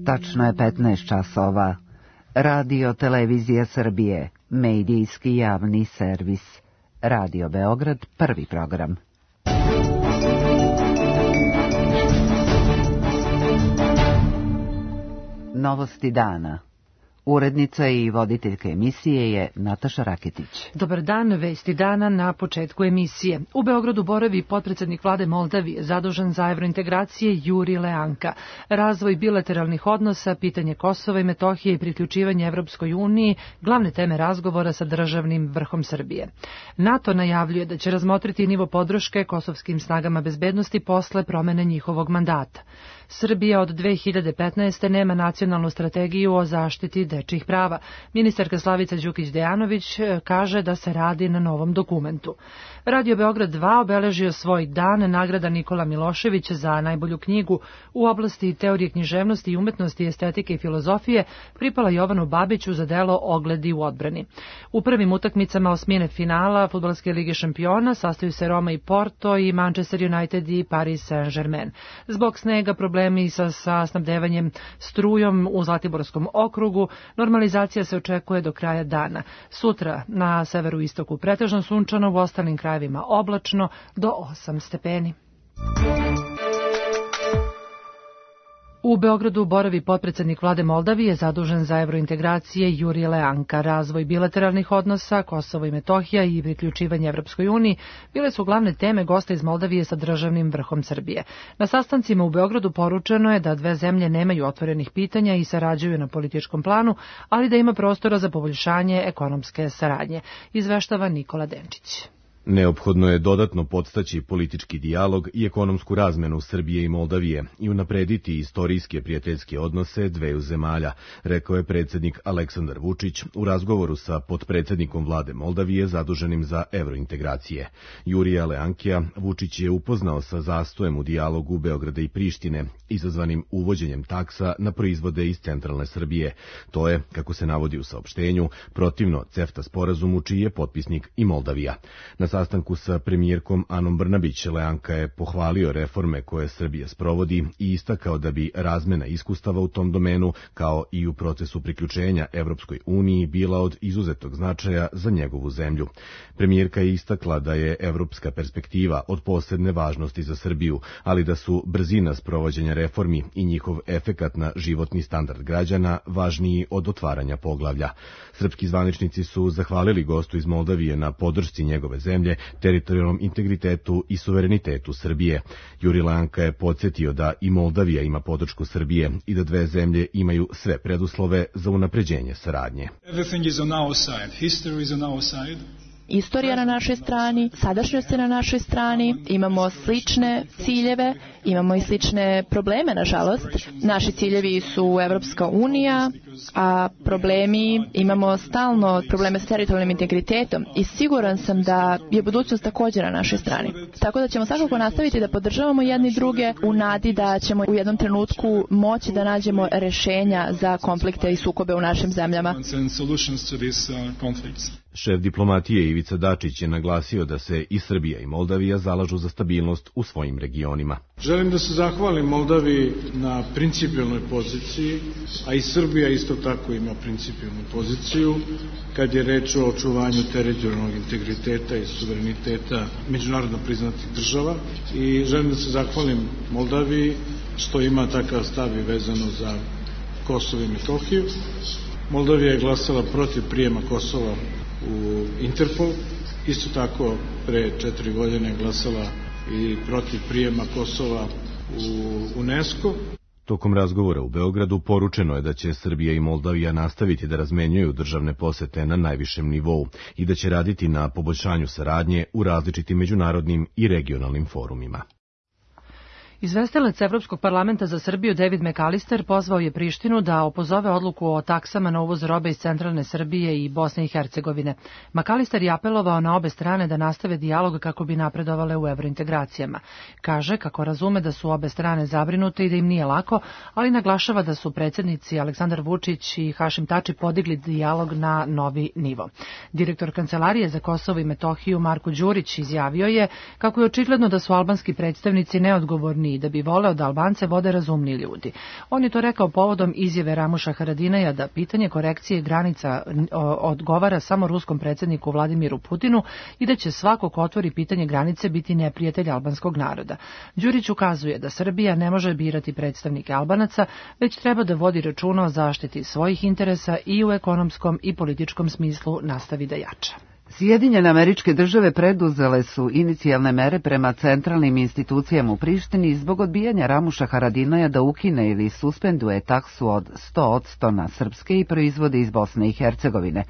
Tačno je 15 časova. Radio Televizija Srbije, medijski javni servis. Radio Beograd, prvi program. Novosti dana. Urednica i voditeljka emisije je Nataša Raketić. Dobar dan, vesti dana na početku emisije. U Beogradu boravi potpredsednik vlade Moldavije, zadužen za evrointegracije Juri Leanka. Razvoj bilateralnih odnosa, pitanje Kosova i Metohije i priključivanje Evropskoj uniji, glavne teme razgovora sa državnim vrhom Srbije. NATO najavljuje da će razmotriti nivo podrške kosovskim snagama bezbednosti posle promene njihovog mandata. Srbija od 2015. nema nacionalnu strategiju o zaštiti dečjih prava. Ministarka Slavica Đukić-Dejanović kaže da se radi na novom dokumentu. Radio Beograd 2 obeležio svoj dan, nagrada Nikola Milošević za najbolju knjigu u oblasti teorije književnosti i umetnosti, estetike i filozofije pripala Jovanu Babiću za delo Ogledi u odbrani. U prvim utakmicama osmine finala Fudbalske lige šampiona sastaju se Roma i Porto i Manchester United i Paris Saint-Germain. Zbog snega, problemi sa snabdevanjem strujom u Zlatiborskom okrugu, normalizacija se očekuje do kraja dana. Sutra na severu istoku pretežno sunčano, u ostalim krajevima oblačno do 8 stepeni. U Beogradu boravi potpredsednik vlade Moldavije, zadužen za evrointegracije Juri Leanka. Razvoj bilateralnih odnosa, Kosovo i Metohija i priključivanje Evropskoj uniji bile su glavne teme gosta iz Moldavije sa državnim vrhom Srbije. Na sastancima u Beogradu poručeno je da dve zemlje nemaju otvorenih pitanja i sarađuju na političkom planu, ali da ima prostora za poboljšanje ekonomske saradnje. Izveštava Nikola Denčić. Neophodno je dodatno podstaći politički dijalog i ekonomsku razmenu Srbije i Moldavije i unaprediti istorijske prijateljske odnose dveju zemalja, rekao je predsjednik Aleksandar Vučić u razgovoru sa potpredsjednikom vlade Moldavije zaduženim za evrointegracije. Jurija Leankija Vučić je upoznao sa zastojem u dijalogu Beograda i Prištine, izazvanim uvođenjem taksa na proizvode iz centralne Srbije. To je, kako se navodi u saopštenju, protivno CEFTA sporazumu čiji je potpisnik i Moldavija. Na sastanku sa premijerkom Anom Brnabić, Leanka je pohvalio reforme koje Srbija sprovodi i istakao da bi razmena iskustava u tom domenu, kao i u procesu priključenja Evropskoj uniji, bila od izuzetog značaja za njegovu zemlju. Premijerka je istakla da je evropska perspektiva od posebne važnosti za Srbiju, ali da su brzina sprovođenja reformi i njihov efekat na životni standard građana važniji od otvaranja poglavlja. Srpski zvaničnici su zahvalili gostu iz Moldavije na podršci njegove zemlje, teritorijalnom integritetu i suverenitetu Srbije. Juri Leanka je podsjetio da i Moldavija ima podršku Srbije i da dve zemlje imaju sve preduslove za unapređenje saradnje. Istorija na našoj strani, sadašnjost je na našoj strani, imamo slične ciljeve, imamo i slične probleme, nažalost. Naši ciljevi su Evropska unija, a imamo stalno probleme sa teritorijalnim integritetom i siguran sam da je budućnost također na našoj strani. Tako da ćemo svakako nastaviti da podržavamo jedni druge u nadi da ćemo u jednom trenutku moći da nađemo rešenja za konflikte i sukobe u našim zemljama. Šef diplomatije Ivica Dačić je naglasio da se i Srbija i Moldavija zalažu za stabilnost u svojim regionima. Želim da se zahvalim Moldaviji na principijelnoj poziciji, a i Srbija isto tako ima principijelnu poziciju kad je reč o očuvanju teritorijalnog integriteta i suvereniteta međunarodno priznatih država. I želim da se zahvalim Moldaviji što ima takav stav i vezano za Kosovo i Metohiju. Moldavija je glasala protiv prijema Kosova u Interpol, isto tako pre 4 godine glasala i protiv prijema Kosova u UNESCO. Tokom razgovora u Beogradu poručeno je da će Srbija i Moldavija nastaviti da razmenjuju državne posete na najvišem nivou i da će raditi na poboljšanju saradnje u različitim međunarodnim i regionalnim forumima. Izvestilac Evropskog parlamenta za Srbiju David McAllister pozvao je Prištinu da opozove odluku o taksama na uvoz robe iz centralne Srbije i Bosne i Hercegovine. McAllister je apelovao na obe strane da nastave dijalog kako bi napredovale u evrointegracijama. Kaže kako razume da su obe strane zabrinute i da im nije lako, ali naglašava da su predsjednici Aleksandar Vučić i Hašim Tači podigli dijalog na novi nivo. Direktor Kancelarije za Kosovo i Metohiju Marko Đurić izjavio je kako je očigledno da su albanski predstavnici neodgovorni uniji, da bi voleo da Albance vode razumni ljudi. On je to rekao povodom izjave Ramuša Haradinaja da pitanje korekcije granica odgovara samo ruskom predsjedniku Vladimiru Putinu i da će svako ko otvori pitanje granice biti neprijatelj albanskog naroda. Đurić ukazuje da Srbija ne može birati predstavnike Albanaca, već treba da vodi računa o zaštiti svojih interesa i u ekonomskom i političkom smislu nastavi da jača. Sjedinjene Američke Države preduzele su inicijalne mere prema centralnim institucijama u Prištini zbog odbijanja Ramuša Haradinaja da ukine ili suspenduje taksu od 100% na srpske i proizvode iz Bosne i Hercegovine.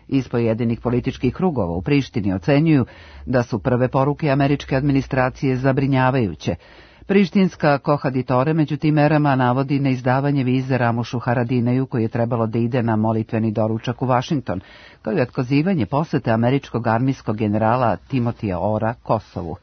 Iz pojedinih političkih krugova u Prištini ocenjuju da su prve poruke američke administracije zabrinjavajuće. Prištinska kohaditore među tim merama navodi na izdavanje vize Ramušu Haradinaju koji je trebalo da ide na molitveni doručak u Vašington, kao i otkazivanje posete američkog armijskog generala Timotija Ora Kosovu.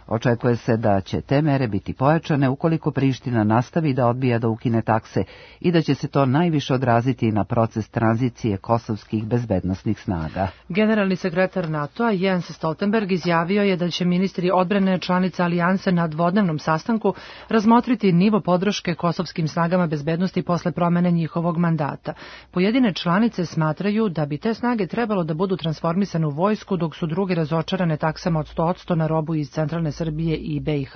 Očekuje se da će te mere biti pojačane ukoliko Priština nastavi da odbija da ukine takse i da će se to najviše odraziti na proces tranzicije kosovskih bezbednosnih snaga. Generalni sekretar NATO-a Jens Stoltenberg izjavio je da će ministri odbrane članica alijanse na dvodnevnom sastanku razmotriti nivo podrške kosovskim snagama bezbednosti posle promene njihovog mandata. Pojedine članice smatraju da bi te snage trebalo da budu transformisane u vojsku, dok su druge razočarane taksama od 100% na robu iz centralne Srbije i BiH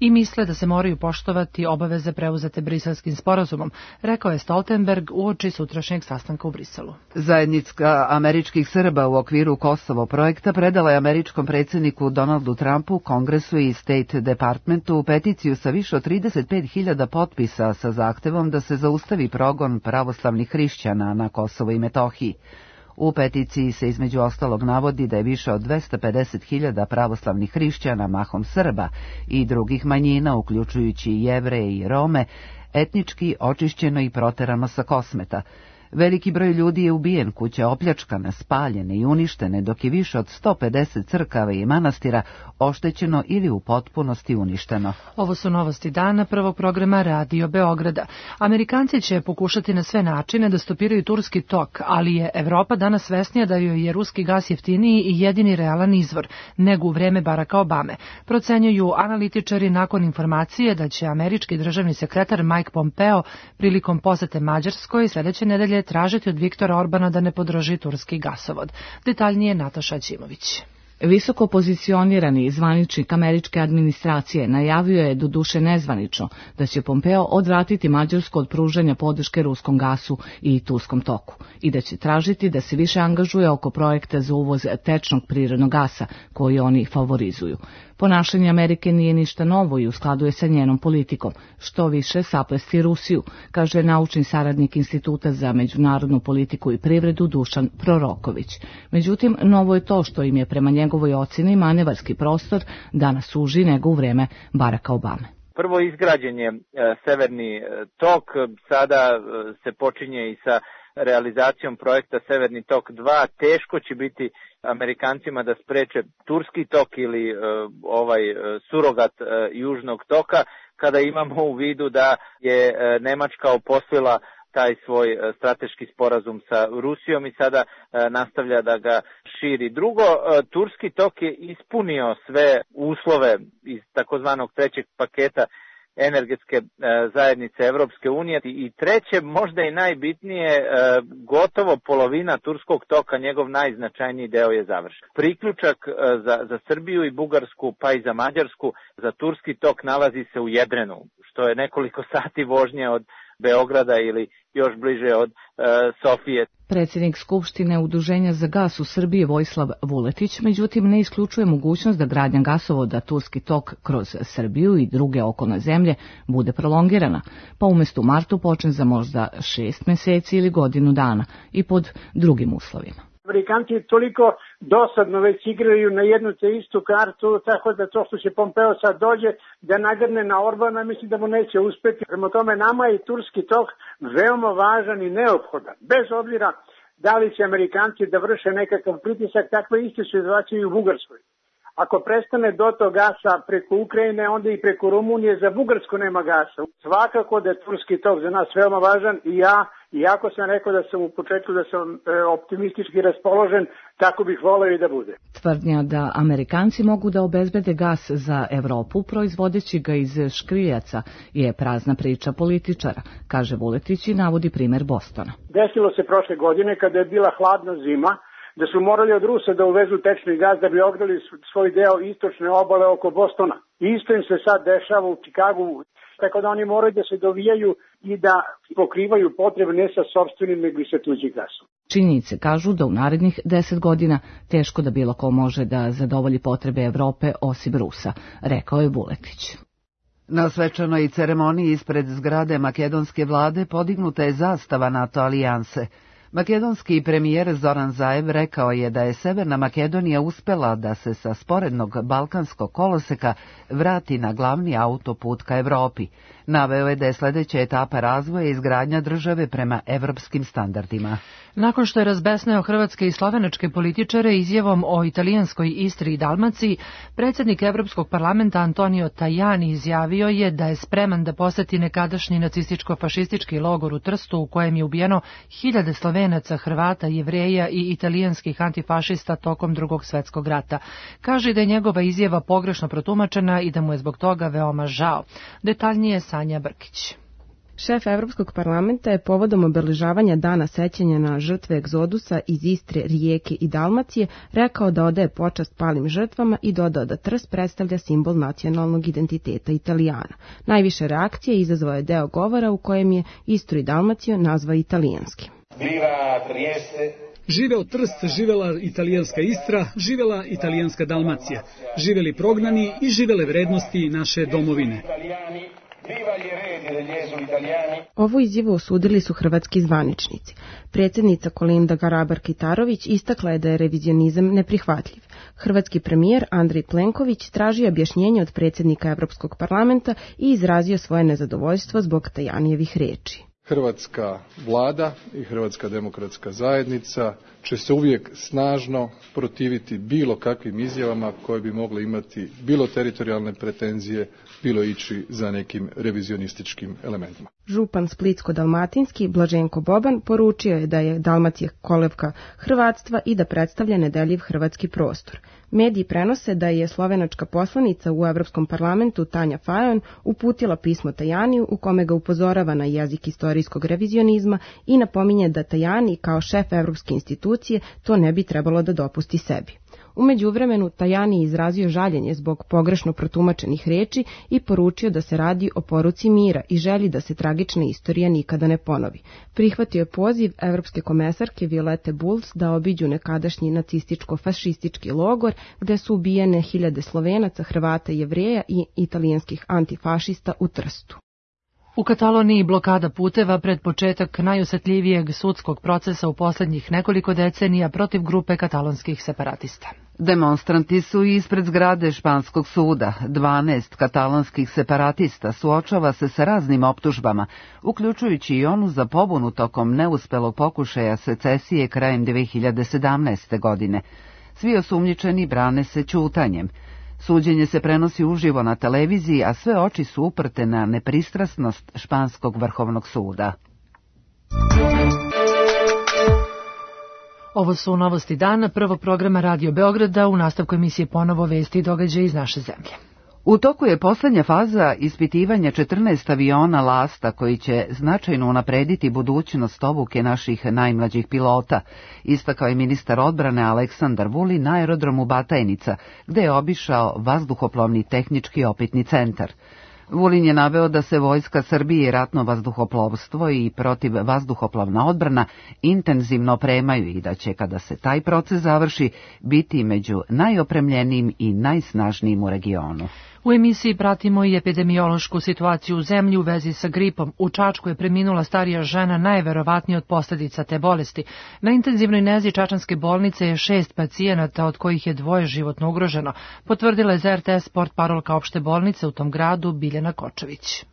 i misle da se moraju poštovati obaveze preuzete Briselskim sporazumom, rekao je Stoltenberg uoči sutrašnjeg sastanka u Briselu. Zajednica američkih Srba u okviru Kosovo projekta predala je američkom predsjedniku Donaldu Trumpu, Kongresu i State Departmentu peticiju sa više od 35.000 potpisa sa zahtevom da se zaustavi progon pravoslavnih hrišćana na Kosovo i Metohiji. U peticiji se između ostalog navodi da je više od 250.000 pravoslavnih hrišćana, mahom Srba i drugih manjina, uključujući Jevreje i Rome, etnički očišćeno i proterano sa Kosmeta. Veliki broj ljudi je ubijen, kuće opljačkane, spaljene i uništene, dok je više od 150 crkava i manastira oštećeno ili u potpunosti uništeno. Ovo su novosti dana prvog programa Radio Beograda. Amerikanci će pokušati na sve načine da stopiraju turski tok, ali je Evropa danas svesnija da joj je ruski gas jeftiniji i jedini realan izvor, nego u vreme Baracka Obame. Procenjuju analitičari nakon informacije da će američki državni sekretar Mike Pompeo prilikom posete Mađarskoj sljedeće nedelje tražiti od Viktora Orbana da ne podrži turski gasovod. Detaljnije Nataša Ćimović. Visoko pozicionirani zvaničnik američke administracije najavio je, doduše nezvanično, da će Pompeo odvratiti Mađarsku od pružanja podrške ruskom gasu i turskom toku i da će tražiti da se više angažuje oko projekta za uvoz tečnog prirodnog gasa koji oni favorizuju. Ponašanje Amerike nije ništa novo i u skladu je sa njenom politikom, što više saplesti Rusiju, kaže naučni saradnik Instituta za međunarodnu politiku i privredu Dušan Proroković. Međutim, novo je to što im je prema njegovoj ocjeni manevarski prostor danas uži nego u vreme Baracka Obame. Prvo izgrađen je Severni tok, sada se počinje i sa realizacijom projekta Severni tok 2, teško će biti Amerikancima da spreče turski tok ili surogat južnog toka, kada imamo u vidu da je Nemačka uposlila taj svoj strateški sporazum sa Rusijom i sada nastavlja da ga širi. Drugo, turski tok je ispunio sve uslove iz takozvanog trećeg paketa energetske zajednice Evropske unije i treće, možda i najbitnije, gotovo polovina turskog toka, njegov najznačajniji deo je završen. Priključak za Srbiju i Bugarsku pa i za Mađarsku za turski tok nalazi se u Jedrenu, što je nekoliko sati vožnje od Beograda ili još bliže od Sofije. Predsjednik Skupštine Udruženja za gas u Srbiji Vojislav Vuletić, međutim, ne isključuje mogućnost da gradnja gasovoda turski tok kroz Srbiju i druge okolne zemlje bude prolongirana, pa umjesto u martu počne za možda 6 mjeseci ili godinu dana i pod drugim uslovima. Amerikanci toliko dosadno već igraju na jednu te istu kartu, tako da to što će Pompeo sad dođe da nagrne na Orbana, mislim da mu neće uspjeti. Prema tome, nama je turski tok veoma važan i neophodan. Bez obzira da li će Amerikanci da vrše nekakav pritisak, takve iste situacije i u Bugarskoj. Ako prestane dotok gasa preko Ukrajine, onda i preko Rumunije za Bugarsku nema gasa. Svakako da je turski tok za nas veoma važan i ja, iako sam rekao da sam u početku da sam optimistički raspoložen, tako bih voleo i da bude. Tvrdnja da Amerikanci mogu da obezbede gas za Evropu proizvodeći ga iz škriljaca je prazna priča političara, kaže Vuletić i navodi primer Bostona. Desilo se prošle godine kada je bila hladna zima, da su morali od Rusa da uvezu tečni gaz da bi ograli svoj deo istočne obale oko Bostona. Isto im se sad dešava u Čikagu, tako da oni moraju da se dovijaju i da pokrivaju potrebe ne sa sopstvenim nego i sa tuđim gasom. Činjenice kažu da u narednih 10 godina teško da bilo ko može da zadovolji potrebe Evrope osim Rusa, rekao je Vuletić. Na svečanoj ceremoniji ispred zgrade makedonske vlade podignuta je zastava NATO alijanse. Makedonski premijer Zoran Zaev rekao je da je Severna Makedonija uspela da se sa sporednog balkanskog koloseka vrati na glavni autoput ka Evropi. Naveo je da je sljedeća etapa razvoja izgradnja države prema evropskim standardima. Nakon što je razbesneo hrvatske i slovenačke političare izjavom o italijanskoj Istri i Dalmaciji, predsjednik Evropskog parlamenta Antonio Tajani izjavio je da je spreman da poseti nekadašnji nacističko-fašistički logor u Trstu u kojem je ubijeno hiljade Slovenaca, Hrvata, Jevreja i italijanskih antifašista tokom Drugog svjetskog rata. Kaže da je njegova izjava pogrešno protumačena i da mu je zbog toga veoma žao. Detaljnije Sanja Brkić. Šef Evropskog parlamenta je povodom obeležavanja dana sećanja na žrtve egzodusa iz Istre, Rijeke i Dalmacije rekao da odaje počast palim žrtvama i dodao da Trst predstavlja simbol nacionalnog identiteta Italijana. Najviše reakcije izazvao je deo govora u kojem je Istru i Dalmaciju nazvao italijanskim. Živeo Trst, živela italijanska Istra, živela italijanska Dalmacija, živeli prognani i živele vrednosti naše domovine. Ovu izjavu osudili su hrvatski zvaničnici. Predsjednica Kolinda Grabar-Kitarović istakla je da je revizionizam neprihvatljiv. Hrvatski premijer Andrej Plenković tražio objašnjenje od predsjednika Evropskog parlamenta i izrazio svoje nezadovoljstvo zbog Tajanijevih riječi. Hrvatska vlada i Hrvatska demokratska zajednica će se uvijek snažno protiviti bilo kakvim izjavama koje bi mogle imati bilo teritorijalne pretenzije, bilo ići za nekim revizionističkim elementima. Župan Splitsko-dalmatinski Blaženko Boban poručio je da je Dalmacija kolevka hrvatstva i da predstavlja nedeljiv hrvatski prostor. Mediji prenose da je slovenačka poslanica u Evropskom parlamentu Tanja Fajon uputila pismo Tajaniju u kome ga upozorava na jezik istorijskog revizionizma i napominje da Tajani kao šef Evropske institucije to ne bi trebalo da dopusti sebi. U međuvremenu Tajani izrazio žaljenje zbog pogrešno protumačenih riječi i poručio da se radi o poruci mira i želi da se tragična istorija nikada ne ponovi. Prihvatio je poziv evropske komesarke Violete Bulc da obiđu nekadašnji nacističko-fašistički logor gde su ubijene hiljade Slovenaca, Hrvata, Jevreja i italijanskih antifašista u Trstu. U Kataloniji blokada puteva pred početak najosjetljivijeg sudskog procesa u posljednjih nekoliko decenija protiv grupe katalonskih separatista. Demonstranti su ispred zgrade španskog suda. 12 katalonskih separatista suočava se sa raznim optužbama, uključujući i onu za pobunu tokom neuspelog pokušaja secesije krajem 2017. godine. Svi osumnjičeni brane se ćutanjem. Suđenje se prenosi uživo na televiziji, a sve oči su uprte na nepristrasnost španskog vrhovnog suda. Ovo su novosti dana, prvog programa Radio Beograda, u nastavku emisije ponovo vesti i događaje iz naše zemlje. U toku je posljednja faza ispitivanja 14 aviona Lasta koji će značajno unaprediti budućnost obuke naših najmlađih pilota, istakao je ministar odbrane Aleksandar Vulin na aerodromu Batajnica, gde je obišao vazduhoplovni tehnički opitni centar. Vulin je naveo da se Vojska Srbije i ratno vazduhoplovstvo i protivvazduhoplovna odbrana intenzivno opremaju i da će, kada se taj proces završi, biti među najopremljenijim i najsnažnijim u regionu. U emisiji pratimo i epidemiološku situaciju u zemlji u vezi sa gripom. U Čačku je preminula starija žena najverovatnije od posljedica te bolesti. Na intenzivnoj nezi čačanske bolnice je 6 pacijenata, od kojih je 2 životno ugroženo, potvrdila je za RTS Sport parolka opšte bolnice u tom gradu Biljana Kočević.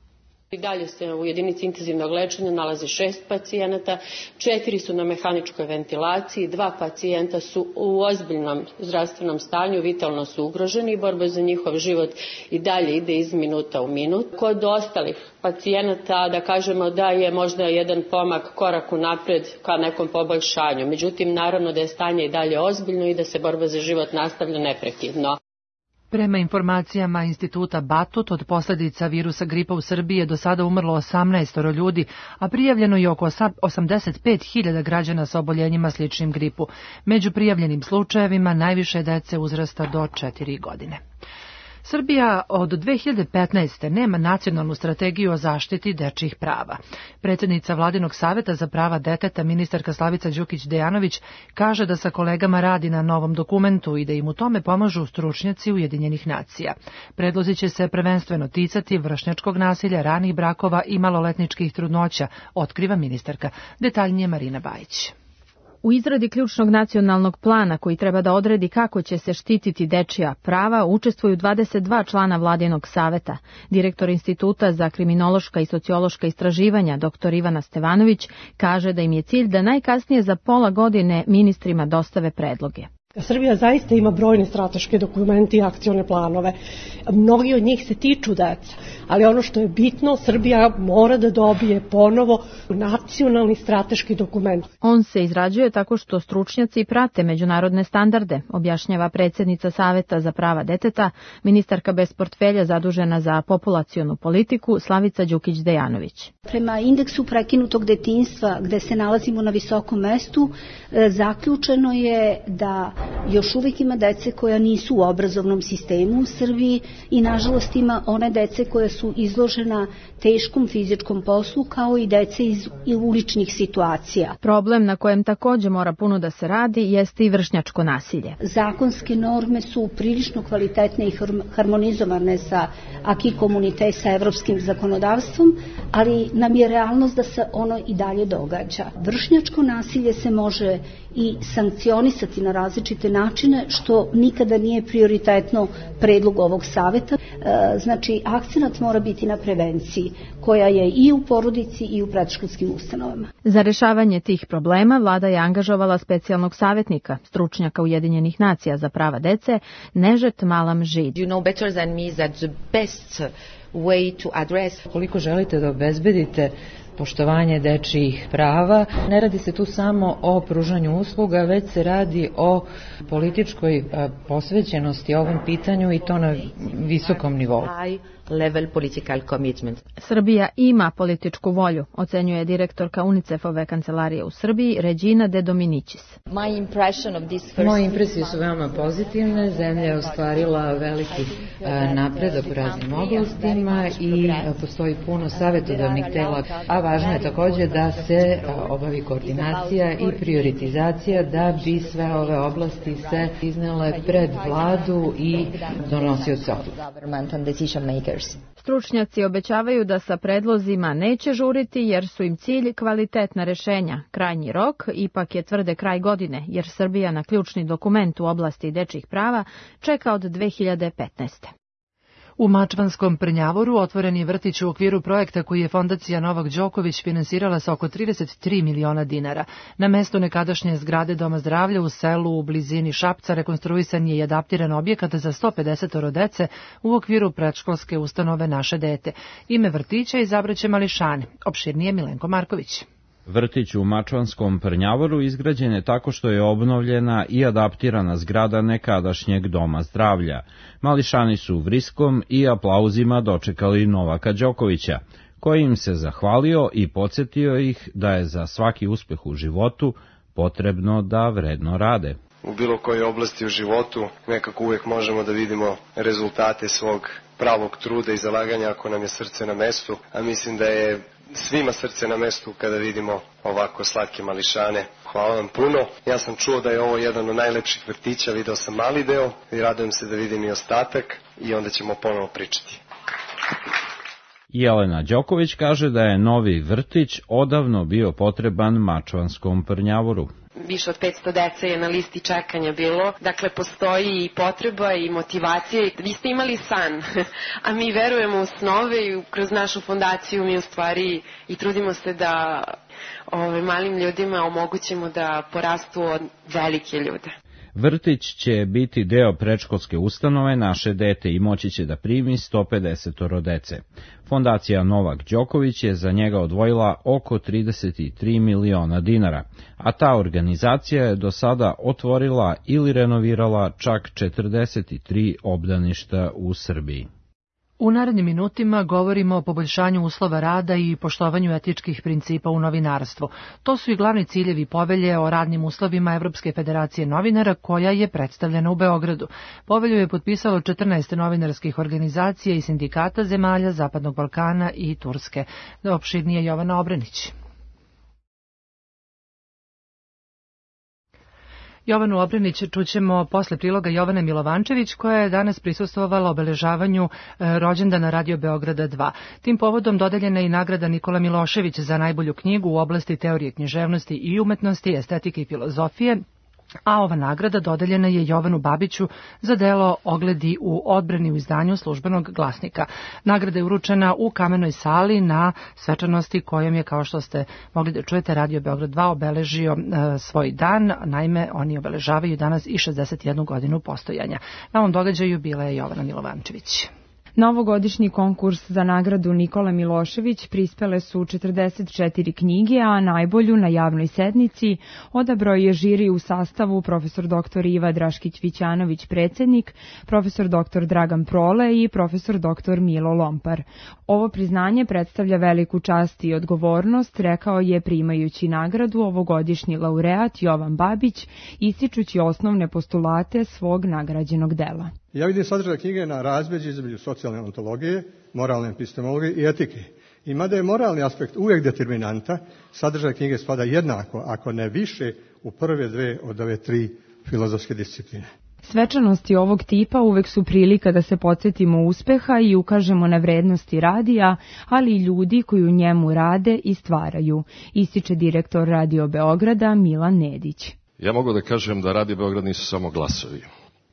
I dalje se u jedinici intenzivnog lečenja nalazi 6 pacijenata, 4 su na mehaničkoj ventilaciji, 2 pacijenta su u ozbiljnom zdravstvenom stanju, vitalno su ugroženi i borba za njihov život i dalje ide iz minuta u minut. Kod ostalih pacijenata da kažemo da je možda jedan pomak, korak unapred ka nekom poboljšanju. Međutim, naravno da je stanje i dalje ozbiljno i da se borba za život nastavlja neprekidno. Prema informacijama Instituta Batut, od posljedica virusa gripa u Srbiji je do sada umrlo 18 ljudi, a prijavljeno je oko 85.000 građana sa oboljenjima sličnim gripu. Među prijavljenim slučajevima najviše dece uzrasta do 4 godine. Srbija od 2015. nema nacionalnu strategiju o zaštiti dečjih prava. Predsjednica Vladinog saveta za prava deteta, ministarka Slavica Đukić-Dejanović, kaže da sa kolegama radi na novom dokumentu i da im u tome pomažu stručnjaci Ujedinjenih nacija. Predlozi će se prvenstveno ticati vršnjačkog nasilja, ranih brakova i maloletničkih trudnoća, otkriva ministarka. Detaljnije Marina Bajić. U izradi ključnog nacionalnog plana koji treba da odredi kako će se štititi dečija prava učestvuju 22 člana Vladinog saveta. Direktor Instituta za kriminološka i sociološka istraživanja dr. Ivana Stevanović kaže da im je cilj da najkasnije za pola godine ministrima dostave predloge. Srbija zaista ima brojne strateške dokumente i akcione planove. Mnogi od njih se tiču deca, ali ono što je bitno, Srbija mora da dobije ponovo nacionalni strateški dokument. On se izrađuje tako što stručnjaci prate međunarodne standarde, objašnjava predsjednica Saveta za prava deteta, ministarka bez portfelja zadužena za populacionu politiku Slavica Đukić-Dejanović. Prema indeksu prekinutog detinjstva, gde se nalazimo na visokom mestu, zaključeno je da još uvijek ima dece koja nisu u obrazovnom sistemu u Srbiji i nažalost ima one dece koja su izložena teškom fizičkom poslu kao i dece iz uličnih situacija. Problem na kojem također mora puno da se radi jeste i vršnjačko nasilje. Zakonske norme su prilično kvalitetne i harmonizovane sa acquis communautaire, sa evropskim zakonodavstvom, ali nam je realnost da se ono i dalje događa. Vršnjačko nasilje se može i sankcionisati na različite načine, što nikada nije prioritetno predlog ovog saveta. Znači, akcenat mora biti na prevenciji, koja je i u porodici i u predškolskim ustanovama. Za rešavanje tih problema vlada je angažovala specijalnog savjetnika, stručnjaka Ujedinjenih nacija za prava dece, Nežet Malam Žid. You know better than me that the best way to address. Koliko želite da obezbedite poštovanje dečijih prava. Ne radi se tu samo o pružanju usluga, već se radi o političkoj posvećenosti ovom pitanju i to na visokom nivou. Level political commitment. Srbija ima političku volju, ocenjuje direktorka UNICEF-ove kancelarije u Srbiji, Regina De Dominicis. Moje impresije su veoma pozitivne, zemlja je ostvarila veliki napredak u raznim oblastima i postoji puno savjetodavnih tela, a važno je također da se obavi koordinacija i prioritizacija da bi sve ove oblasti se iznele pred vladu i donosioce odluka. Stručnjaci obećavaju da sa predlozima neće žuriti jer su im cilj kvalitetna rešenja. Krajnji rok ipak je tvrde kraj godine jer Srbija na ključni dokument u oblasti dečjih prava čeka od 2015. U Mačvanskom Prnjavoru otvoren je vrtić u okviru projekta koji je fondacija Novak Đoković finansirala sa oko 33 miliona dinara. Na mestu nekadašnje zgrade Doma zdravlja u selu u blizini Šapca rekonstruisan je i adaptiran objekat za 150 dece u okviru predškolske ustanove Naše dete. Ime vrtića izabraće mališani. Opširnije Milenko Marković. Vrtić u Mačvanskom Prnjavoru izgrađen je tako što je obnovljena i adaptirana zgrada nekadašnjeg Doma zdravlja. Mališani su vriskom i aplauzima dočekali Novaka Đokovića, koji im se zahvalio i podsjetio ih da je za svaki uspeh u životu potrebno da vredno rade. U bilo kojoj oblasti u životu nekako uvijek možemo da vidimo rezultate svog pravog truda i zalaganja ako nam je srce na mestu, a mislim da je svima srce na mestu kada vidimo ovako slatke mališane. Hvala vam puno. Ja sam čuo da je ovo jedan od najlepših vrtića, video sam mali deo i radujem se da vidim i ostatak i onda ćemo ponovo pričati. Jelena Đoković kaže da je novi vrtić odavno bio potreban Mačvanskom Prnjavoru. više od 500 dece je na listi čekanja bilo. Dakle, postoji i potreba i motivacija. Vi ste imali san, a mi verujemo u snove i kroz našu fondaciju mi u stvari i trudimo se da malim ljudima omogućimo da porastu od velike ljude. Vrtić će biti deo predškolske ustanove Naše dete i moći će da primi 150 dece. Fondacija Novak Đoković je za njega odvojila oko 33 miliona dinara, a ta organizacija je do sada otvorila ili renovirala čak 43 obdaništa u Srbiji. U narednim minutima govorimo o poboljšanju uslova rada i poštovanju etičkih principa u novinarstvu. To su i glavni ciljevi povelje o radnim uslovima Evropske federacije novinara koja je predstavljena u Beogradu. Povelju je potpisalo 14 novinarskih organizacija i sindikata zemalja Zapadnog Balkana i Turske. Opširnije Jovana Obrenić. Jovanu Obrenić čućemo posle priloga Jovane Milovančević, koja je danas prisustvovala obeležavanju rođendana Radio Beograda 2. Tim povodom dodeljena je i nagrada Nikola Milošević za najbolju knjigu u oblasti teorije književnosti i umetnosti, estetike i filozofije, a ova nagrada dodeljena je Jovanu Babiću za delo Ogledi u odbrani u izdanju Službenog glasnika. Nagrada je uručena u Kamenoj sali na svečanosti kojom je, kao što ste mogli da čujete, Radio Beograd 2 obeležio svoj dan. Naime, oni obeležavaju danas i 61 godinu postojanja. Na ovom događaju bila je Jovana Milovančević. Na ovogodišnji konkurs za nagradu Nikola Milošević prispele su 44 knjige, a najbolju na javnoj sednici odabrao je žiri u sastavu profesor dr. Iva Draškić-Vićanović predsjednik, profesor dr. Dragan Prole i profesor dr. Milo Lompar. Ovo priznanje predstavlja veliku čast i odgovornost, rekao je primajući nagradu ovogodišnji laureat Jovan Babić, ističući osnovne postulate svog nagrađenog dela. Ja vidim sadržaj knjige na razmeđi između socijalne ontologije, moralne epistemologije i etike. I mada je moralni aspekt uvijek determinanta, sadržaj knjige spada jednako, ako ne više, u prve dve od ove tri filozofske discipline. Svečanosti ovog tipa uvek su prilika da se podsjetimo uspeha i ukažemo na vrednosti radija, ali i ljudi koji u njemu rade i stvaraju, ističe direktor Radio Beograda Milan Nedić. Ja mogu da kažem da Radio Beograd nisu samo glasovi.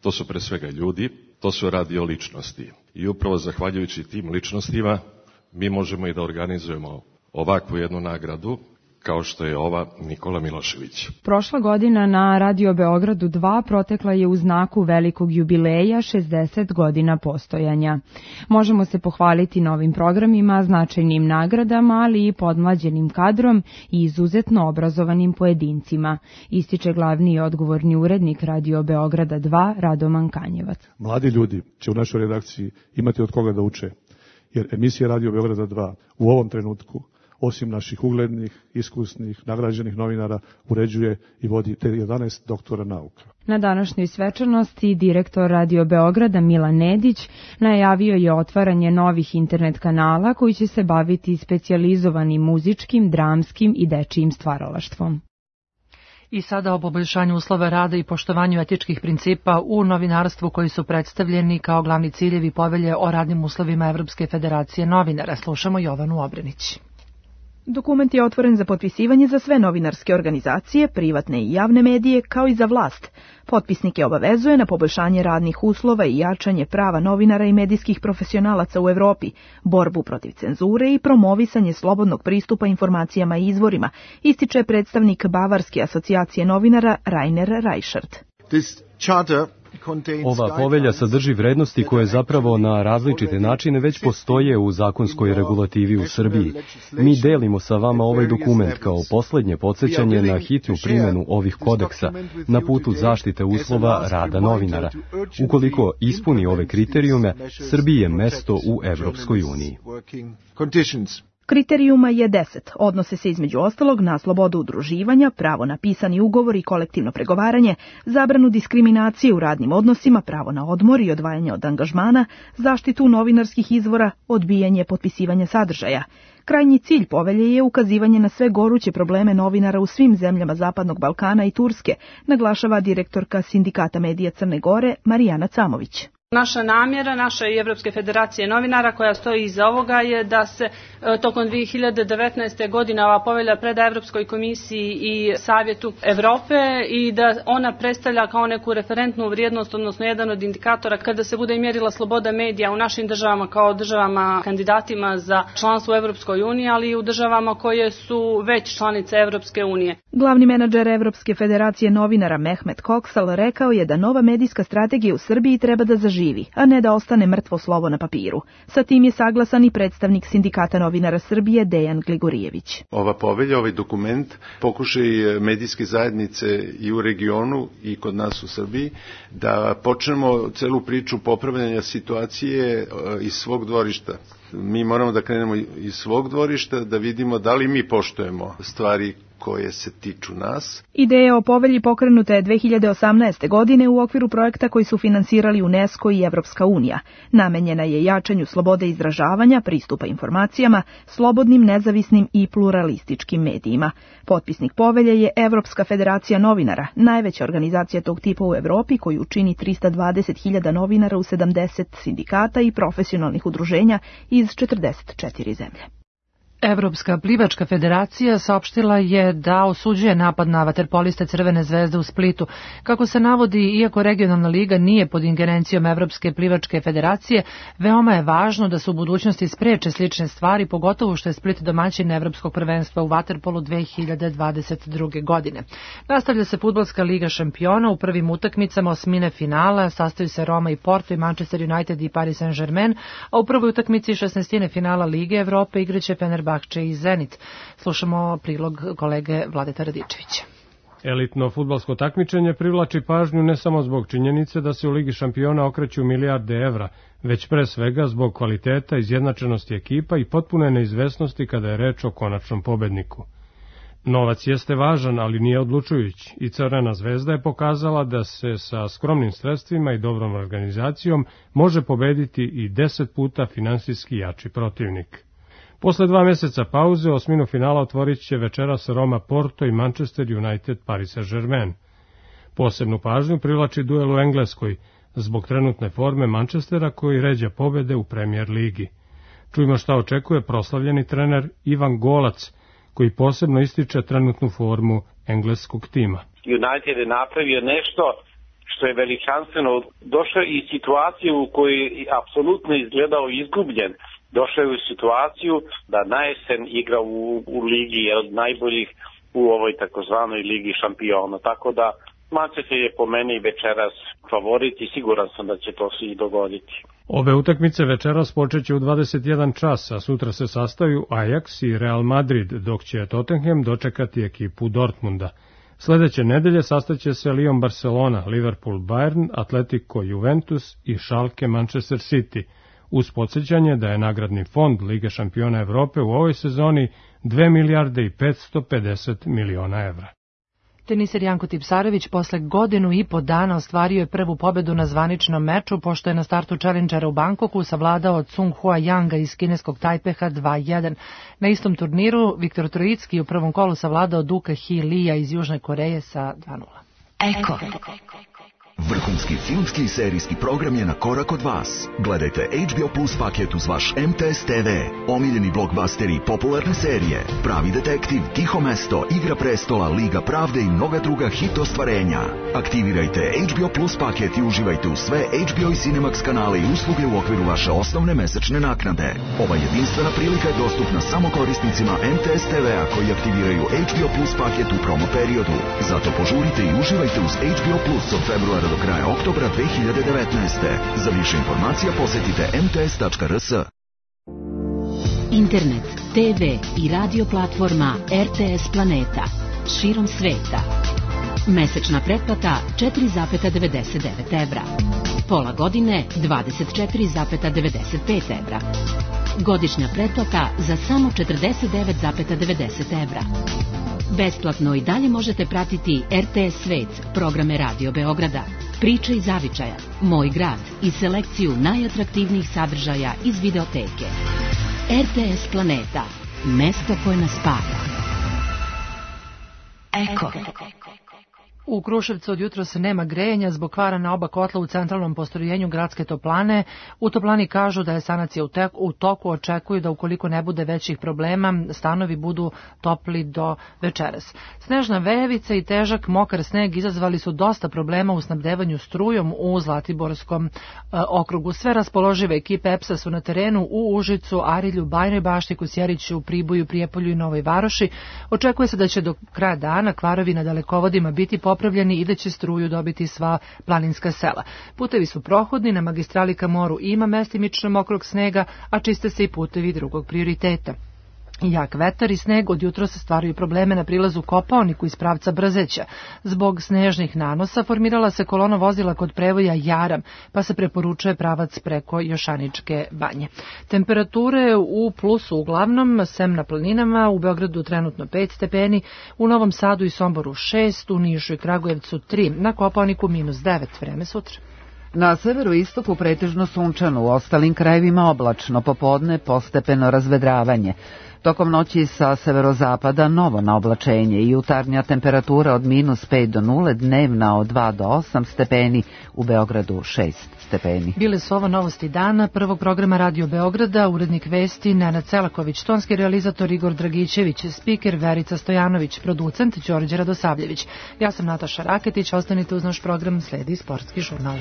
To su pre svega ljudi, to su radio ličnosti. I upravo zahvaljujući tim ličnostima mi možemo i da organizujemo ovakvu jednu nagradu kao što je ova Nikola Milošević. Prošla godina na Radio Beogradu 2 protekla je u znaku velikog jubileja 60 godina postojanja. Možemo se pohvaliti novim programima, značajnim nagradama, ali i podmlađenim kadrom i izuzetno obrazovanim pojedincima, ističe glavni i odgovorni urednik Radio Beograda 2 Radoman Kanjevac. Mladi ljudi će u našoj redakciji imati od koga da uče, jer emisija Radio Beograda 2 u ovom trenutku, osim naših uglednih, iskusnih, nagrađenih novinara, uređuje i vodi te 11 doktora nauka. Na današnjoj svečanosti direktor Radio Beograda Milan Nedić najavio je otvaranje novih internet kanala koji će se baviti specijalizovanim muzičkim, dramskim i dečijim stvaralaštvom. I sada o poboljšanju uslova rada i poštovanju etičkih principa u novinarstvu koji su predstavljeni kao glavni ciljevi povelje o radnim uslovima Evropske federacije novinara. Slušamo Jovanu Obrenić. Dokument je otvoren za potpisivanje za sve novinarske organizacije, privatne i javne medije, kao i za vlast. Potpisnike obavezuje na poboljšanje radnih uslova i jačanje prava novinara i medijskih profesionalaca u Evropi, borbu protiv cenzure i promovisanje slobodnog pristupa informacijama i izvorima, ističe predstavnik Bavarske asocijacije novinara Rainer Reichert. Ova povelja sadrži vrednosti koje zapravo na različite načine već postoje u zakonskoj regulativi u Srbiji. Mi delimo sa vama ovaj dokument kao poslednje podsjećanje na hitnu primjenu ovih kodeksa na putu zaštite uslova rada novinara. Ukoliko ispuni ove kriterijume, Srbiji je mesto u Evropskoj uniji. Kriterijuma je 10. Odnose se između ostalog na slobodu udruživanja, pravo na pisani ugovor i kolektivno pregovaranje, zabranu diskriminacije u radnim odnosima, pravo na odmor i odvajanje od angažmana, zaštitu novinarskih izvora, odbijanje potpisivanja sadržaja. Krajnji cilj povelje je ukazivanje na sve goruće probleme novinara u svim zemljama Zapadnog Balkana i Turske, naglašava direktorka Sindikata medija Crne Gore Marijana Camović. Naša namjera, naša i Evropske federacije novinara koja stoji iza ovoga je da se tokom 2019. godine ova povelja preda Evropskoj komisiji i Savjetu Evrope i da ona predstavlja kao neku referentnu vrijednost, odnosno jedan od indikatora kada se bude mjerila sloboda medija u našim državama kao državama kandidatima za članstvo u Evropskoj uniji, ali i u državama koje su već članice Evropske unije. Glavni menadžer Evropske federacije novinara Mehmet Koksal rekao je da nova medijska strategija u Srbiji treba da zaživi, a ne da ostane mrtvo slovo na papiru. Sa tim je saglasan i predstavnik Sindikata novinara Srbije Dejan Gligorijević. Ova povelja, ovaj dokument, pokušaj medijske zajednice i u regionu i kod nas u Srbiji da počnemo celu priču popravljanja situacije iz svog dvorišta. Mi moramo da krenemo iz svog dvorišta, da vidimo da li mi poštujemo stvari koje se tiču nas. Ideja o povelji pokrenuta je 2018. godine u okviru projekta koji su finansirali UNESCO i Evropska unija. Namenjena je jačanju slobode izražavanja, pristupa informacijama, slobodnim, nezavisnim i pluralističkim medijima. Potpisnik povelje je Evropska federacija novinara, najveća organizacija tog tipa u Evropi koju čini 320.000 novinara u 70 sindikata i profesionalnih udruženja iz 44 zemlje. Evropska plivačka federacija saopštila je da osuđuje napad na vaterpoliste Crvene zvezde u Splitu. Kako se navodi, iako regionalna liga nije pod ingerencijom Evropske plivačke federacije, veoma je važno da se u budućnosti spreče slične stvari, pogotovo što je Split domaćin Evropskog prvenstva u vaterpolu 2022. godine. Nastavlja se fudbalska liga šampiona. U prvim utakmicama osmine finala sastaju se Roma i Porto i Manchester United i Paris Saint-Germain, a u prvoj utakmici 16. finala Lige Evrope igraće Fenerbahče i Zenit. Slušamo prilog kolege Vladeta Radičevića. Elitno fudbalsko takmičenje privlači pažnju ne samo zbog činjenice da se u Ligi šampiona okreću milijarde evra, već pre svega zbog kvaliteta, izjednačenosti ekipa i potpune neizvesnosti kada je reč o konačnom pobedniku. Novac jeste važan, ali nije odlučujući i Crvena zvezda je pokazala da se sa skromnim sredstvima i dobrom organizacijom može pobediti i 10 puta finansijski jači protivnik. Posle 2 meseca pauze, osminu finala otvorit će večeras Roma Porto i Manchester United Paris Saint-Germain. Posebnu pažnju privlači duel u Engleskoj, zbog trenutne forme Manchestera koji ređa pobede u Premier ligi. Čujmo šta očekuje proslavljeni trener Ivan Golac, koji posebno ističe trenutnu formu engleskog tima. United je napravio nešto što je veličanstveno. Došao i situaciju u kojoj je apsolutno izgledao izgubljen. Došao je u situaciju da na jesen igra u ligi, je od najboljih u ovoj takozvanoj ligi šampiona. Tako da Manchester je po meni večeras favorit i siguran sam da će to se i dogoditi. Ove utakmice večeras počeće u 21 čas, a sutra se sastaju Ajax i Real Madrid, dok će Tottenham dočekati ekipu Dortmunda. Sledeće nedelje sastaće se Lyon Barcelona, Liverpool Bayern, Atletico Juventus i Schalke Manchester City, uz podsjećanje da je nagradni fond Lige šampiona Evrope u ovoj sezoni 2 milijarde i 550 miliona evra. Teniser Janko Tipsarević posle godinu i po dana ostvario je prvu pobedu na zvaničnom meču, pošto je na startu Challengera u Bangkoku savladao od Sung Hua Yanga iz kineskog Tajpeha 2-1. Na istom turniru Viktor Trojicki u prvom kolu savladao Duka Hee Lee-a iz Južne Koreje sa 2-0. Eko. Vrhunski filmski i serijski program je na korak od vas. Gledajte HBO Plus paket uz vaš MTS TV, omiljeni blockbusteri i popularne serije, Pravi detektiv, Tiho mesto, Igra prestola, Liga pravde i mnoga druga hit ostvarenja. Aktivirajte HBO Plus paket i uživajte u sve HBO i Cinemax kanale i usluge u okviru vaše osnovne mesečne naknade. Ova jedinstvena prilika je dostupna samo korisnicima MTS TV-a koji aktiviraju HBO Plus paket u promo periodu. Zato požurite i uživajte uz HBO Plus od februara do kraja oktobra 2019. Za više informacija posetite mts.rs. Internet, TV i radio platforma RTS Planeta širom sveta. Mesečna pretplata 4,99 evra. Pola godine 24,95 evra. Godišnja pretplata za samo 49,90 evra. Besplatno i dalje možete pratiti RTS Svet, programe Radio Beograda, Priče iz zavičaja, Moj grad i selekciju najatraktivnijih sadržaja iz videoteke. RTS Planeta, mesto koje nas spaja. Eko. U Kruševcu od jutros nema grejanja zbog kvara na oba kotla u centralnom postrojenju gradske toplane. U toplani kažu da je sanacija u toku, očekuju da ukoliko ne bude većih problema, stanovi budu topli do večeras. Snežna veljavica i težak mokar sneg izazvali su dosta problema u snabdevanju strujom u Zlatiborskom okrugu. Sve raspoložive ekipe EPS-a su na terenu u Užicu, Arilju, Bajnoj Bašti, Kosjeriću, Priboju, Prijepolju i Novoj Varoši. Očekuje se da će do kraja dana kvarovi na dalekovodima biti popravljeni i da će struju dobiti sva planinska sela. Putevi su prohodni, na magistrali ka moru ima mestimično mokrog snega, a čiste se i putevi drugog prioriteta. Jak vetar i sneg od jutros stvaraju probleme na prilazu Kopaoniku iz pravca Brzeća. Zbog snežnih nanosa formirala se kolona vozila kod prevoja Jaram, pa se preporučuje pravac preko Jošaničke banje. Temperature u plusu uglavnom, sem na planinama, u Beogradu trenutno 5 stepeni, u Novom Sadu i Somboru 6, u Nišu i Kragujevcu 3, na Kopaoniku -9, vreme sutra. Na severoistoku pretežno sunčano, u ostalim krajevima oblačno, popodne postepeno razvedravanje. Tokom noći sa severozapada novo naoblačenje i jutarnja temperatura od -5 do 0, dnevna od 2 do 8 stepeni, u Beogradu 6 stepeni. Bile su ovo novosti dana, prvog programa Radio Beograda, urednik vesti Nenad Celaković, tonski realizator Igor Dragićević, spiker Verica Stojanović, producent Đorđe Radosavljević. Ja sam Nataša Raketić, ostanite uz naš program, sledi Sportski žurnal.